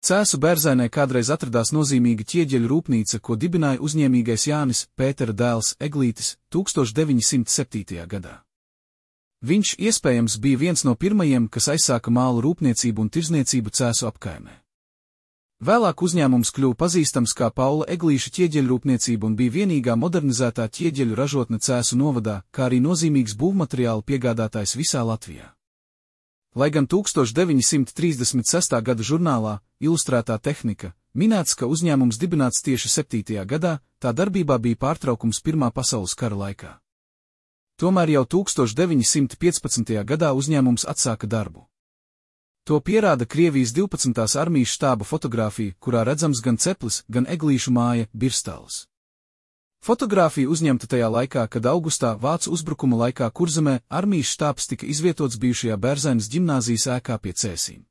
Cēsu Bērzainē kādreiz atradās nozīmīga ķieģeļu rūpnīca, ko dibināja uzņēmīgais Jānis Pētera dēls Eglītis 1907. gadā. Viņš, iespējams, bija viens no pirmajiem, kas aizsāka mālu rūpniecību un tirzniecību Cēsu apkaimē. Vēlāk uzņēmums kļuva pazīstams kā Paula Eglīša ķieģeļrūpniecība un bija vienīgā modernizētā ķieģeļu ražotne Cēsu novadā, kā arī nozīmīgs būvmateriālu piegādātājs visā Latvijā. Lai gan 1936. gada žurnālā Ilustrētā tehnika minēts, ka uzņēmums dibināts tieši 7. gadā, tā darbībā bija pārtraukums Pirmā pasaules kara laikā. Tomēr jau 1915. gadā uzņēmums atsāka darbu. To pierāda Krievijas 12. armijas štāba fotogrāfija, kurā redzams gan ceplis, gan Eglīšu māja Birstals. Fotogrāfija uzņemta tajā laikā, kad augustā Vācu uzbrukuma laikā Kurzemē armijas štābs tika izvietots bijušajā Bērzainas ģimnāzijas ēkā pie Cēsīm.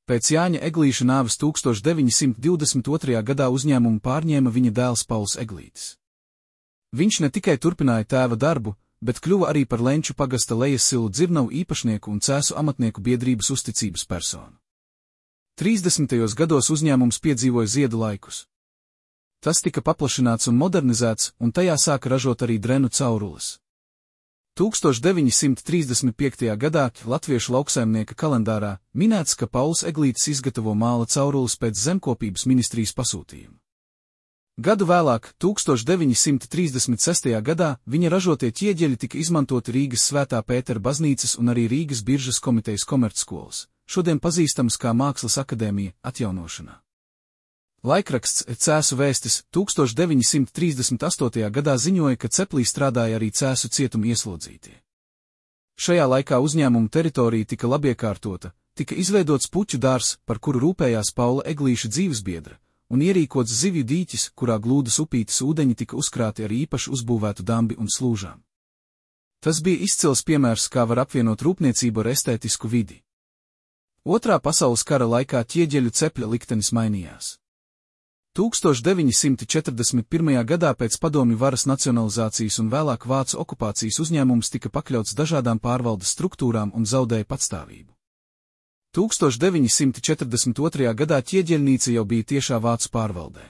Pēc Jāņa Eglīša nāves 1922. gadā uzņēmumu pārņēma viņa dēls Pauls Eglītis. Viņš ne tikai turpināja tēva darbu, bet kļuva arī par Lenču pagasta Lejasilu dzirnavu īpašnieku un Cēsu amatnieku biedrības uzticības personu. 30. gados uzņēmums piedzīvoja ziedu laikus. Tas tika paplašināts un modernizēts, un tajā sāka ražot arī drenu caurules. 1935. gadā Latviešu lauksaimnieka kalendārā minēts, ka Pauls Eglītis izgatavo māla caurules pēc zemkopības ministrijas pasūtījuma. Gadu vēlāk, 1936. gadā, viņa ražotie ķieģeļi tika izmantoti Rīgas Svētā Pētera baznīcas un arī Rīgas biržas komitejas komercskolas, šodien pazīstams kā Mākslas akadēmija, atjaunošanā. Laikraksts Cēsu vēstis 1938. gadā ziņoja, ka ceplī strādāja arī Cēsu cietuma ieslodzītie. Šajā laikā uzņēmuma teritorija tika labiekārtota, tika izveidots puķu dārs, par kuru rūpējās Paula Eglīša dzīvesbiedra, un ierīkots zivju dīķis, kurā glūdas upītes ūdeņi tika uzkrāti ar īpaši uzbūvētu dambi un slūžām. Tas bija izcils piemērs, kā var apvienot rūpniecību ar estētisku vidi. Otrā pasaules kara laikā ķieģeļu cepļa liktenis mainījās. 1941. gadā pēc padomju varas nacionalizācijas un vēlāk Vācu okupācijas uzņēmums tika pakļauts dažādām pārvaldes struktūrām un zaudēja patstāvību. 1942. gadā ķieģeļnīca jau bija tiešā Vācu pārvaldē.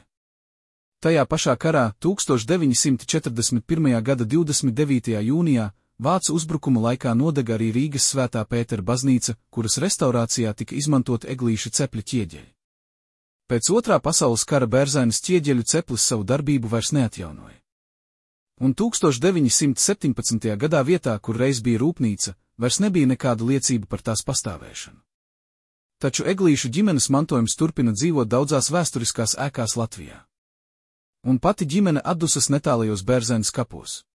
Tajā pašā karā, 1941. gada 29. jūnijā, Vācu uzbrukuma laikā nodega arī Rīgas Svētā Pētera baznīca, kuras restaurācijā tika izmantota Eglīša cepļa ķieģeļi. Pēc Otrā pasaules kara Bērzainas ķieģeļu ceplis savu darbību vairs neatjaunoja. Un 1917. gadā vietā, kur reiz bija rūpnīca, vairs nebija nekāda liecība par tās pastāvēšanu. Taču Eglīšu ģimenes mantojums turpina dzīvot daudzās vēsturiskās ēkās Latvijā. Un pati ģimene atdusas netālajos Bērzainas kapos.